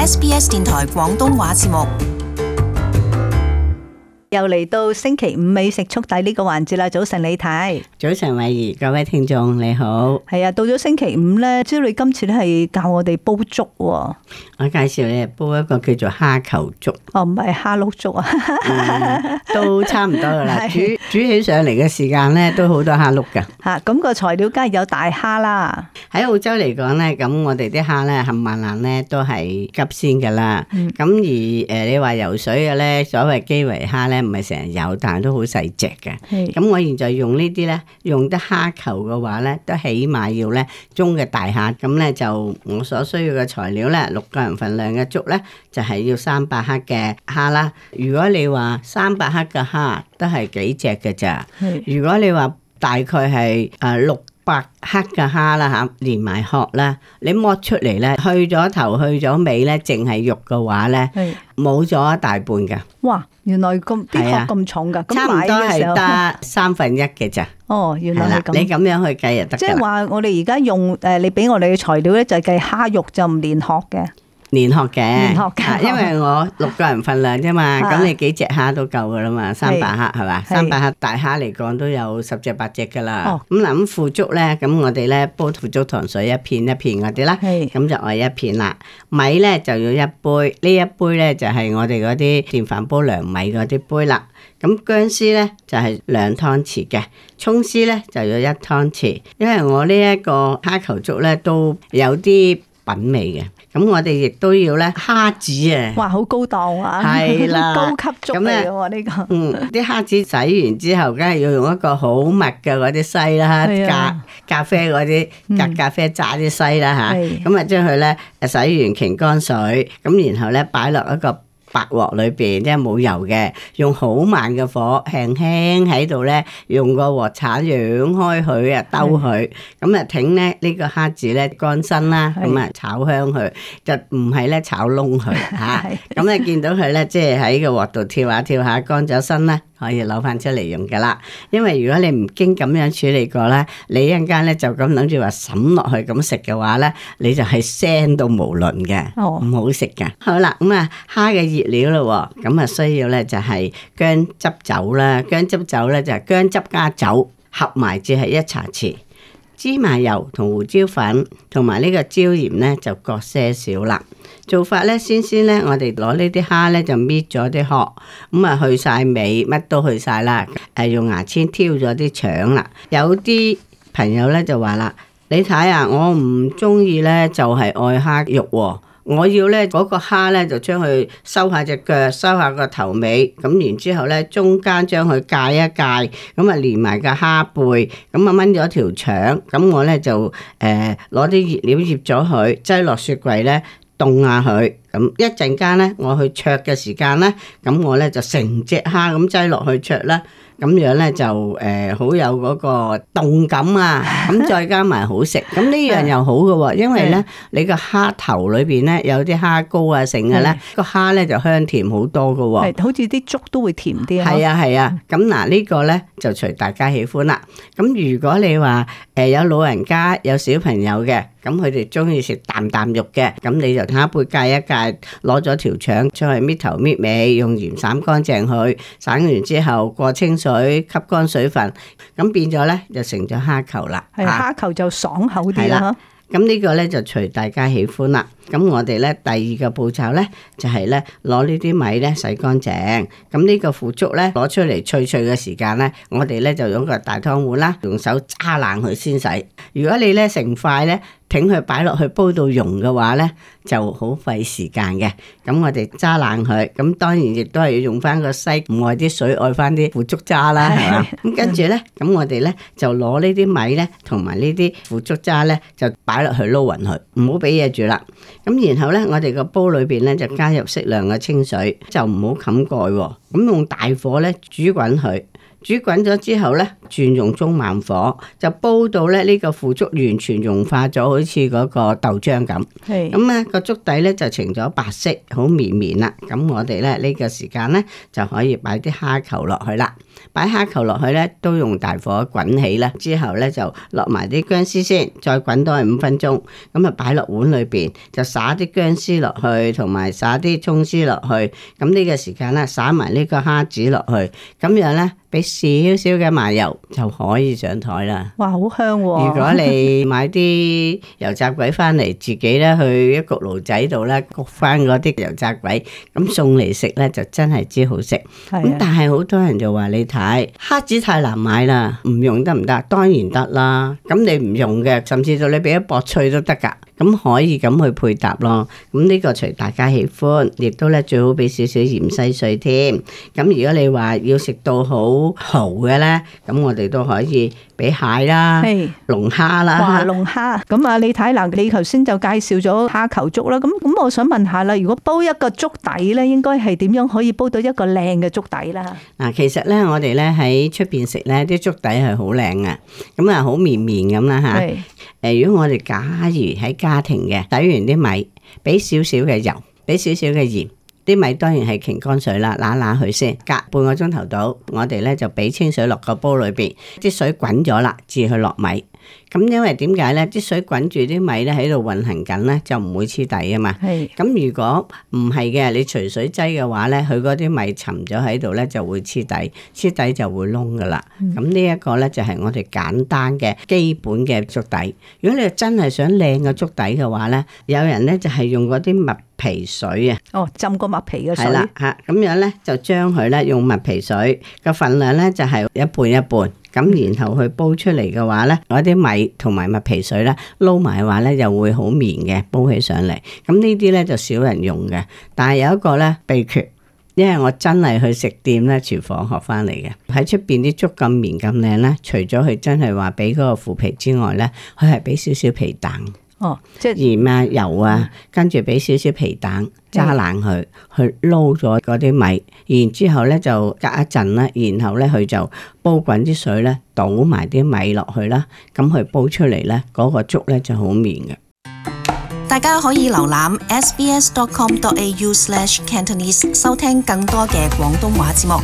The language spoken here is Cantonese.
SBS 電台廣東話節目。又嚟到星期五美食速遞呢個環節啦！早晨李太，早晨慧怡，各位聽眾你好。係啊，到咗星期五咧，知道你今次咧係教我哋煲粥喎。我介紹你煲一個叫做蝦球粥。哦，唔係蝦碌粥啊，都差唔多噶啦。煮起上嚟嘅時間咧，都好多蝦碌噶。吓，咁個材料梗係有大蝦啦。喺澳洲嚟講咧，咁我哋啲蝦咧冚唪唥咧都係急鮮噶啦。咁而你話游水嘅咧，所謂基圍蝦咧，唔係成日有，但係都好細隻嘅。咁我現在用呢啲咧，用得蝦球嘅話咧，都起碼要咧中嘅大蝦。咁咧就我所需要嘅材料咧，6個人份量嘅粥咧，就係要300克嘅蝦啦。如果你話300克嘅蝦都係幾隻嘅咋？如果你話大概係600克嘅蝦啦嚇，連埋殼啦，你剝出嚟咧，去咗頭去咗尾咧，淨係肉嘅話咧，冇咗一大半㗎。哇！原來咁啲殼咁重㗎，差唔多係得1/3嘅咋。哦，原來係咁。你咁樣去計就得㗎啦。即係話我哋而家用你俾我哋嘅材料咧，就係計蝦肉就唔連殼嘅。連殼嘅，因為我6個人份量啫嘛，咁你幾隻蝦都夠噶啦嘛，300克係嘛，300克大蝦嚟講都有10隻8隻噶啦。咁嗱，咁腐竹咧，咁我哋咧煲腐竹糖水一片一片嗰啲啦，咁就愛一片啦。米咧就要1杯，呢一杯咧就係我哋嗰啲電飯煲涼米嗰啲杯啦。咁薑絲咧就係2湯匙嘅，蔥絲咧就要1湯匙，因為我呢一個蝦球粥咧都有啲品味嘅。咁我哋亦都要咧蝦子啊！哇，好高檔啊！係啦，高級粥嚟嘅喎呢個。啲蝦子洗完之後，梗係要用一個好密嘅嗰啲篩啦，咖啡嗰啲咖啡渣啲篩啦嚇。咁啊將佢咧洗完擎乾水，咁然後咧擺落一個白鑊裏邊，即係冇油嘅，用好慢嘅火，輕輕喺度咧，用個鑊鏟揚開佢啊，兜佢，咁啊挺咧呢個蝦子咧乾身啦，咁啊炒香佢，就唔係咧炒燶佢嚇。咁你見到佢咧，即係喺個鑊度跳下跳下，乾咗身咧，可以攞翻出嚟用噶啦。因為如果你唔經咁樣處理過咧，你一陣間咧就咁諗住話揼落去咁食嘅話咧，你就係腥到無倫嘅，唔好食噶。好啦，咁啊蝦嘅熱料咯，咁啊需要咧就係薑汁酒啦，薑汁酒咧就係薑汁加酒合埋至係1茶匙，芝麻油同胡椒粉同埋呢個椒鹽咧就各些少啦。做法咧，先咧我哋攞呢啲蝦咧就搣咗啲殼，咁啊去晒尾，乜都去晒啦，用牙籤挑咗啲腸啦。有啲朋友咧就話啦，你睇啊，我唔中意咧就係愛蝦肉喎。我要咧嗰個蝦咧就將佢收下隻腳，收下個頭尾，咁然之後咧中間將佢界一界，咁啊連埋個蝦背，咁啊炆咗條腸，咁我咧就攞啲熱料醃咗佢，擠落雪櫃咧凍下佢，咁一陣間咧我去焯嘅時間咧，咁我咧就成隻蝦咁擠落去焯啦。咁樣咧就好有嗰個動感啊，咁再加埋好食，咁呢樣又好嘅喎，因為咧你個蝦頭裏邊咧有啲蝦膏啊剩嘅咧，個蝦咧就香甜好多嘅喎，係好似啲粥都會甜啲啊。係啊，咁嗱呢個咧就隨大家喜歡啦。咁如果你話有老人家有小朋友嘅，咁佢哋中意食啖啖肉嘅，咁你就蝦背界一界，攞咗條腸出去搣頭搣尾，用鹽散乾淨佢，散完之後過清水吸乾水分，咁變咗咧就成咗蝦球啦。係蝦球就爽口啲啦。咁呢個咧就隨大家喜歡啦。咁我哋咧第二個步驟咧就係咧攞呢啲米咧洗乾淨。咁呢個腐竹咧攞出嚟脆脆嘅時間咧，我哋咧就用個大湯碗啦，用手揸爛佢先洗。如果你咧成塊咧挺佢擺落去煲到溶嘅話咧，就好費時間嘅。咁我哋揸爛佢，咁當然亦都係要用翻個篩，唔愛啲水，愛翻啲腐竹渣啦，係嘛？咁跟住咧，咁我哋咧就攞呢啲米咧同埋呢啲腐竹渣咧，就擺落去撈勻佢，唔好俾嘢住啦。咁然後咧，我哋個煲裏邊咧就加入適量嘅清水，就唔好冚蓋喎。咁用大火咧煮滾佢，煮滾咗之後咧，轉用中慢火，就煲到咧呢個腐竹完全融化咗，好似嗰個豆漿咁。係咁咧個竹底咧就呈咗白色，好綿綿啦。咁我哋咧呢個時間咧就可以擺啲蝦球落去啦。擺蝦球落去咧都用大火滾起啦，之後咧就落埋啲薑絲先，再滾多5分鐘。咁啊擺落碗裏邊，就撒啲薑絲落去，同埋撒啲蔥絲落去。咁呢個時間咧撒埋呢個蝦子落去，咁樣咧俾少少嘅麻油就可以上台啦。哇，好香喎！如果你買啲油炸鬼翻嚟，自己咧去一焗爐仔度咧焗翻嗰啲油炸鬼，咁送嚟食咧就真係之好食。咁但係好多人就話你睇蝦子太難買啦，唔用得唔得？當然得啦。咁你唔用嘅，甚至到你俾一薄脆都得噶。咁可以咁去配搭咯。咁呢個隨大家喜歡，亦都咧最好俾少少芫茜碎添。咁如果你話要食到好豪嘅咧，咁我哋都可以俾蟹啦、龍蝦啦。哇，龍蝦咁啊！你睇嗱，你頭先就介紹咗蝦球粥啦。咁我想問下啦，如果煲一個粥底咧，應該係點樣可以煲到一個靚嘅粥底啦？嗱，其實咧，我哋咧喺出邊食咧，啲粥底係好靚嘅，咁啊好綿綿咁啦嚇。如果我哋假如喺家庭嘅，洗完啲米，俾少少嘅油，俾少少嘅鹽，啲米當然係擎乾水啦，揦揦佢先，隔半個鐘頭到，我哋咧就俾清水落個煲裏邊，啲水滾咗啦，至去落米。咁因為點解咧？啲水滾住啲米咧喺度運行緊咧，就唔會黐底啊嘛。咁如果唔係嘅，你隨水擠嘅話咧，佢嗰啲米沉咗喺度咧，就會黐底，黐底就會燶噶啦。咁呢一個咧就係我哋簡單嘅基本嘅粥底。如果你真係想靚嘅粥底嘅話咧，有人咧就係用嗰啲麥皮水啊。哦，浸個麥皮嘅水。係啦，嚇咁樣咧就將佢咧用麥皮水嘅份量咧就係一半一半。咁然後去煲出嚟嘅話咧，嗰啲米同埋麥皮水咧撈埋嘅話咧，又會好綿嘅，煲起上嚟。咁呢啲咧就少人用嘅，但係有一個咧秘訣，因為我真係去食店咧廚房學翻嚟嘅。喺出邊啲粥咁綿咁靚咧，除咗佢真係話俾嗰個腐皮之外咧，佢係俾少少皮蛋。哦，即係鹽啊、油啊，跟住俾少少皮蛋揸爛佢，去撈咗嗰啲米，然之後咧就隔一陣啦，然後咧佢就煲滾啲水咧，倒埋啲米落去啦，咁佢煲出嚟咧，嗰個粥咧就好綿嘅。大家可以瀏覽 sbs.com.au/cantonese 收聽更多嘅廣東話節目。